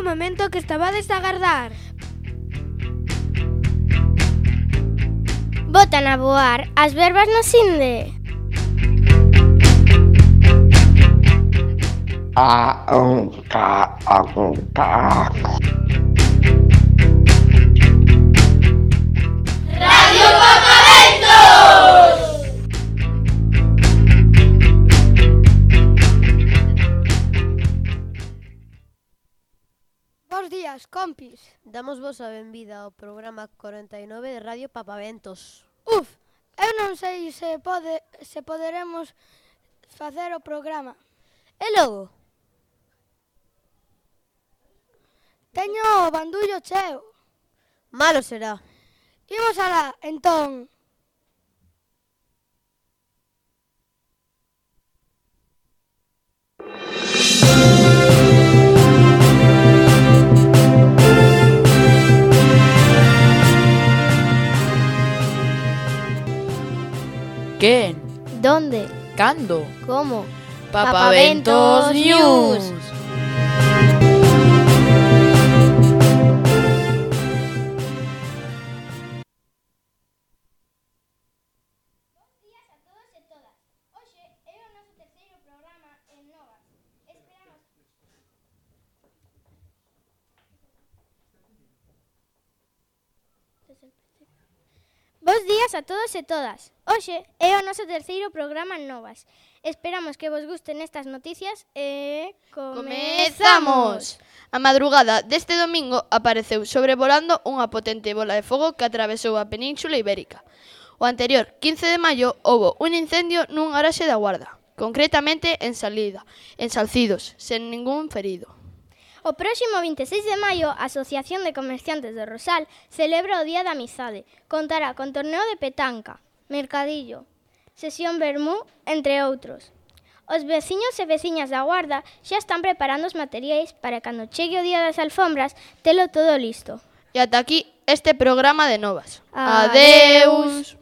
momento que estabades a agardar. Botan a voar as verbas no Sinde. Radio Papaventos! Bos días, compis. Damos vos a benvida ao programa 49 de Radio Papaventos. Eu non sei se poderemos facer o programa. E logo? Teño o bandullo cheo. Malo será. Imos alá, entón. Quen? Donde? Cando? Como? Papaventos News. Bos días a todos e todas. Hoxe é o noso terceiro programa en Novas. Esperamos que vos gusten estas noticias e Comezamos! A madrugada deste domingo apareceu sobrevolando unha potente bola de fogo que atravesou a Península Ibérica. O anterior 15 de maio houbo un incendio nun garaxe da Guarda, concretamente en Salcidos, sen ningún ferido. O próximo 26 de maio, a Asociación de Comerciantes de Rosal celebra o Día da Amizade. Contará con torneo de petanca, mercadillo, sesión vermú, entre outros. Os veciños e veciñas da Guarda xa están preparando os materiais para cando chegue o Día das Alfombras telo todo listo. E ata aquí este programa de Novas. Adeus.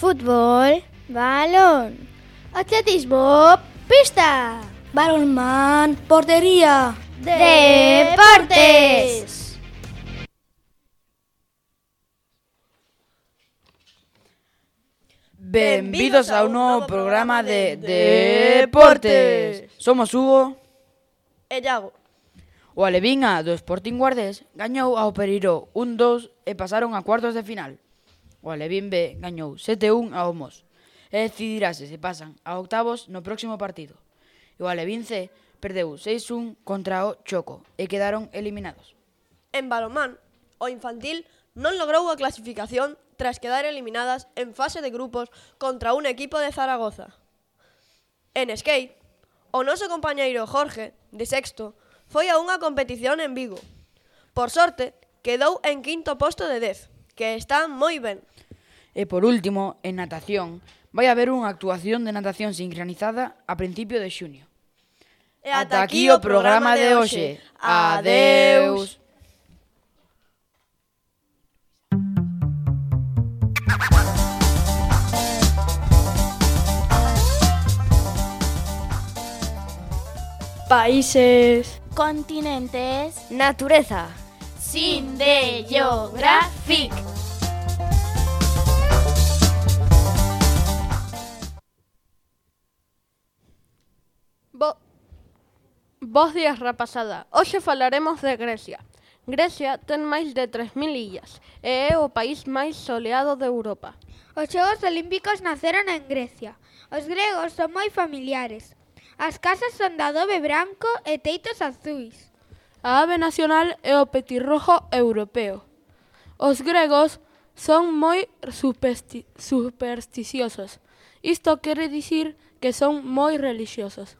Fútbol, balón. Atletismo, pista. Balonmán, portería. Deportes. Benvidos ao novo programa de Deportes. Somos Hugo E Iago. O Alevinha do Sporting Guardés gañou ao Pereiró 1-2 e pasaron a cuartos de final. O Alevín B gañou 7-1 ao Mos e decidirase se pasan a octavos no próximo partido. E o Alevín C perdeu 6-1 contra o Choco e quedaron eliminados. En balonmán, o infantil non logrou a clasificación tras quedar eliminadas en fase de grupos contra un equipo de Zaragoza. En skate, o noso compañeiro Jorge, de sexto, foi a unha competición en Vigo. Por sorte, quedou en quinto posto de 10, que está moi ben. E por último, en natación, vai haber unha actuación de natación sincronizada a principio de xunio. E Ata aquí o programa de hoxe. Adeus. Países. Continentes. Natureza. Sinde Geographic. Bos días, rapazada. Hoxe falaremos de Grecia. Grecia ten máis de 3.000 illas e é o país máis soleado de Europa. Os Xogos Olímpicos naceron en Grecia. Os gregos son moi familiares. As casas son de adobe branco e teitos azuis. A ave nacional é o petirrojo europeo. Os gregos son moi supersticiosos. Isto quere dicir que son moi relixiosos.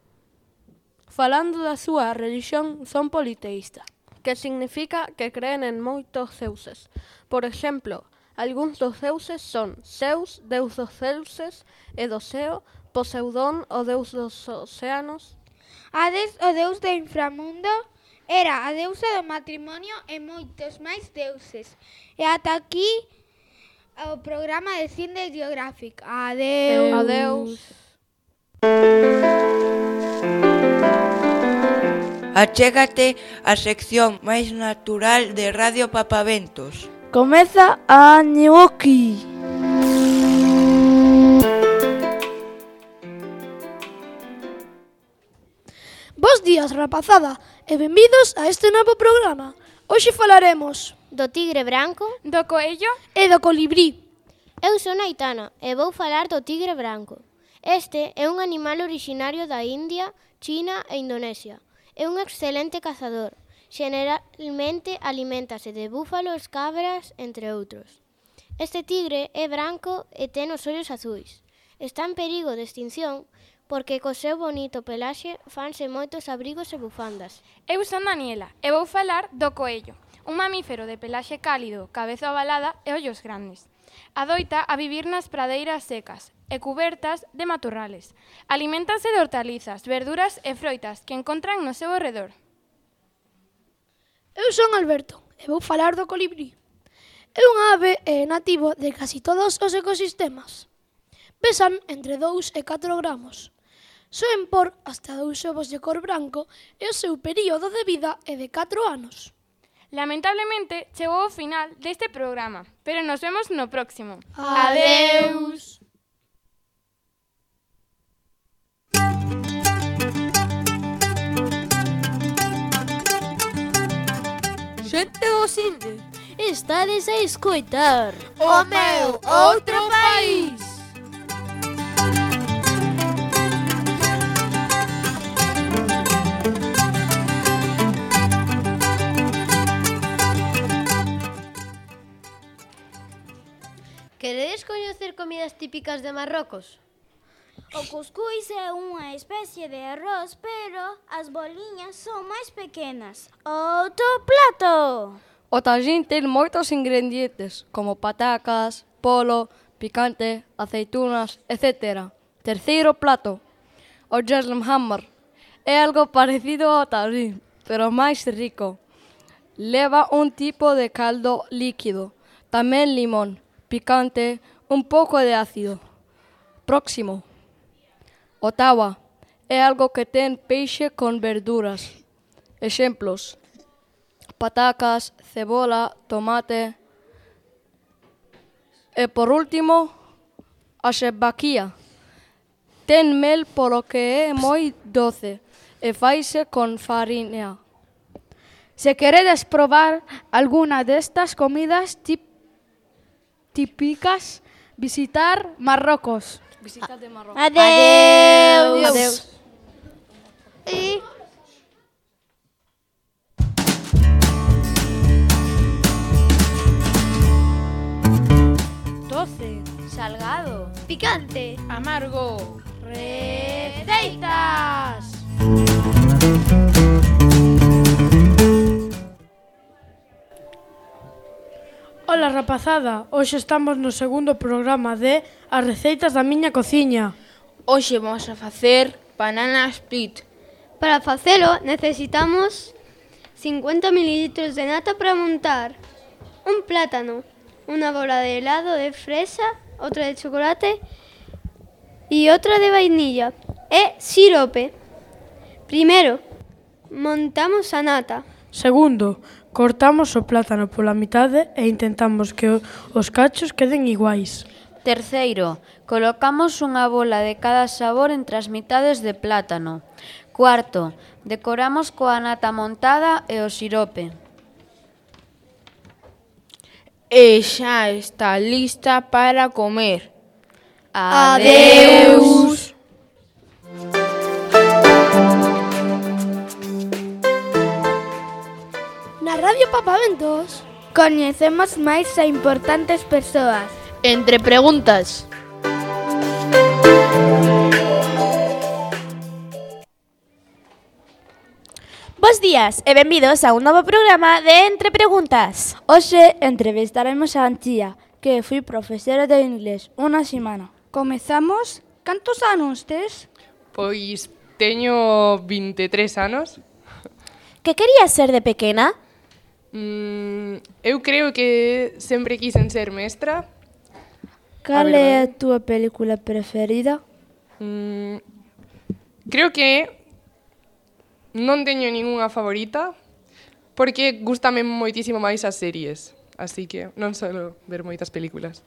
Falando da súa religión, son politeísta, que significa que creen en moitos deuses. Por exemplo, algúns dos deuses son Zeus, deus dos deuses e do xeo, Poseidón, o deus dos océanos, Hades, o deus do inframundo, Era a deusa do matrimonio e moitos máis deuses. E ata aquí o programa de Cine Geographic. Adeus. Adeus. Achégate a sección máis natural de Radio Papaventos. Comeza a Ñuoki. Bos días, rapazada, e benvidos a este novo programa. Hoxe falaremos Do tigre branco Do coello e do colibrí. Eu son Aitana e vou falar do tigre branco. Este é un animal originario da India, China e Indonesia. É un excelente cazador. Generalmente aliméntase de búfalos, cabras, entre outros. Este tigre é branco e ten os ollos azuis. Está en perigo de extinción porque co seu bonito pelaxe fanse moitos abrigos e bufandas. Eu son Daniela e vou falar do coello, un mamífero de pelaxe cálido, cabeza ovalada e ollos grandes. Adoita a vivir nas pradeiras secas e cubertas de matorrales. Aliméntase de hortalizas, verduras e froitas que encontran no seu arredor. Eu son Alberto e vou falar do colibrí. É unha ave e nativo de casi todos os ecosistemas. Pesan entre 2 e 4 gramos. Soen por hasta 2 ovos de cor branco e o seu período de vida é de 4 anos. Lamentablemente, chegou ao final deste programa, pero nos vemos no próximo. Adeus. Xente do Cinde, estades a escoitar O meu outro país. Queredes coñecer comidas típicas de Marrocos? O cuscúis é unha especie de arroz, pero as boliñas son máis pequenas. Outro plato! O tajín ten moitos ingredientes, como patacas, polo, picante, aceitunas, etc. Terceiro plato, o Jeslemhammer. É algo parecido ao tajín, pero máis rico. Leva un tipo de caldo líquido, tamén limón, picante, un pouco de ácido. Próximo. O tawa é algo que ten peixe con verduras. Exemplos: patacas, cebola, tomate. E por último, a shebaquía. Ten mel polo que é moi doce e faise con farinha. Se queredes probar alguna destas comidas típicas, visitar Marrocos. Visitar de Marrocos. Adeus! Adeus. E... Doce, Salgado. Picante. amargo, Receitas. Ola, rapazada, hoxe estamos no segundo programa de As receitas da miña cociña. Hoxe vamos a facer banana split. Para facelo necesitamos 50 ml de nata para montar, un plátano, unha bola de helado de fresa, outra de chocolate e outra de vainilla e sirope. Primeiro, montamos a nata. Segundo, cortamos o plátano pola mitade e intentamos que os cachos queden iguais. Terceiro, colocamos unha bola de cada sabor entre as mitades de plátano. Cuarto, decoramos coa nata montada e o sirope. E xa está lista para comer. Adeus! Na Radio Papaventos coñecemos máis a importantes persoas. Entre preguntas. Bos días e benvidos a un novo programa de Entre Preguntas. Hoxe entrevistaremos a Antía, que foi profesora de inglés unha semana. Comezamos. Cantos anos tes? Pois teño 23 anos. Que querías ser de pequena? Eu creo que sempre quixen ser mestra. Cal é a túa película preferida? Creo que non teño ningunha favorita, porque gústame moitísimo máis as series, así que non solo ver moitas películas.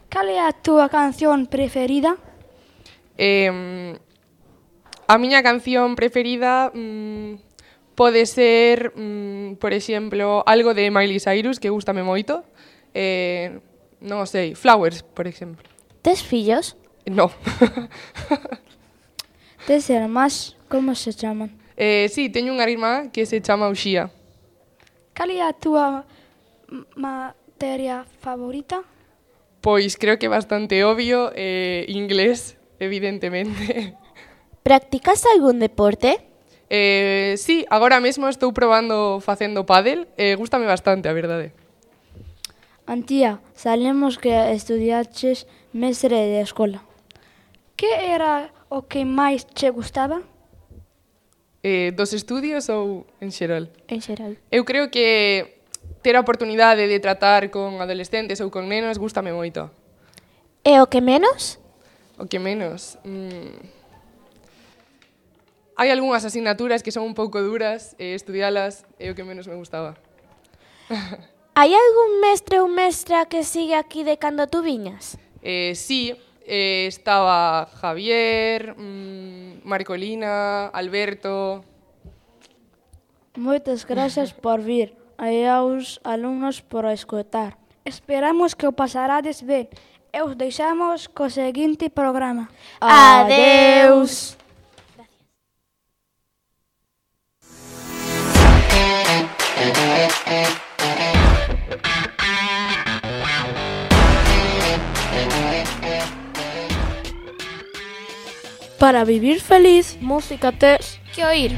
Cal é a túa canción preferida? A miña canción preferida pode ser, por exemplo, algo de Miley Cyrus, que gústame moito. Non sei, Flowers, por exemplo. Tes fillos? No. Tes irmás, como se chaman? Sí, teño unha irmá que se chama Uxía. Cal é a túa materia favorita? Pois creo que é bastante obvio, inglés, evidentemente. Practicas algún deporte? Sí, agora mesmo estou probando facendo pádel, gústame bastante, a verdade. Antía, sabemos que estudiaches mestre de escola. Que era o que máis che gustaba? Dos estudios ou en xeral? En xeral. Eu creo que ter a oportunidade de tratar con adolescentes ou con nenos gústame moito. E o que menos? O que menos? Hai algunhas asignaturas que son un pouco duras, estudialas é o que menos me gustaba. Hai algún mestre ou mestra que sigue aquí de cando tú viñas? Sí, estaba Javier, Marcolina, Alberto. Moitas grazas por vir e aos alumnos por escoitar. Esperamos que o pasarades ben e os deixamos co seguinte programa. Adeus! Para vivir feliz, música tes que oír.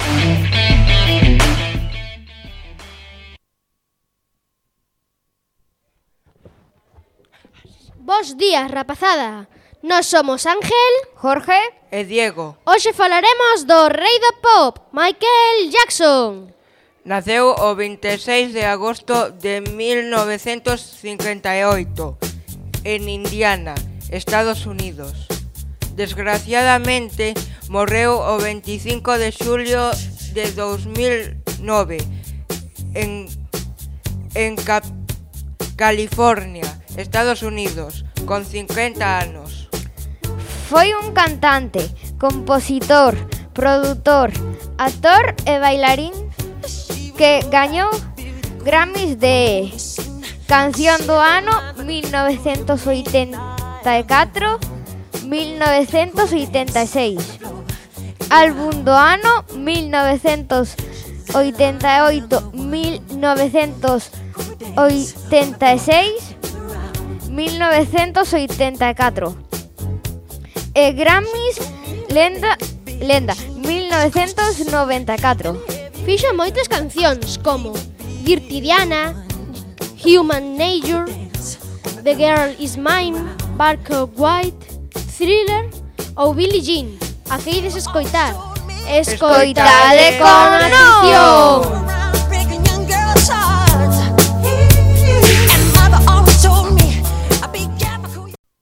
Bos días, rapazada. Nós somos Ángel, Jorge e Diego. Hoxe falaremos do rei do pop, Michael Jackson. Naceu o 26 de agosto de 1958 en Indiana, Estados Unidos. Desgraciadamente, morreu o 25 de xulio de 2009 en California, Estados Unidos, con 50 anos. Foi un cantante, compositor, produtor, actor e bailarín que gañou Grammys de Canción do Ano 1984, 1986, Álbum do Ano 1988, 1986, 1984 e Grammys Lenda 1994. Fixo moitas cancións como Dirty Diana, Human Nature, The Girl Is Mine, Bark of White, Thriller ou Billie Jean. A que ides escoitar? Escoitade con atención!